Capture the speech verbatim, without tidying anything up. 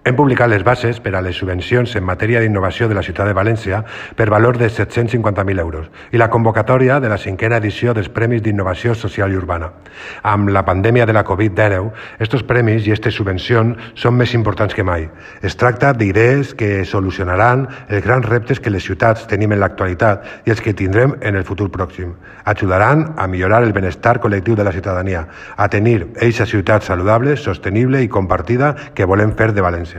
Hem publicat les bases per a les subvencions en matèria d'innovació de la ciutat de València per valor de set-cents cinquanta mil euros i la convocatòria de la cinquena edició dels Premis d'Innovació Social i Urbana. Amb la pandèmia de la covid dinou, estos premis i aquestes subvencions són més importants que mai. Es tracta d'idees que solucionaran els grans reptes que les ciutats tenim en l'actualitat i els que tindrem en el futur pròxim. Ajudaran a millorar el benestar col·lectiu de la ciutadania, a tenir eixa ciutat saludable, sostenible i compartida que volem fer de València.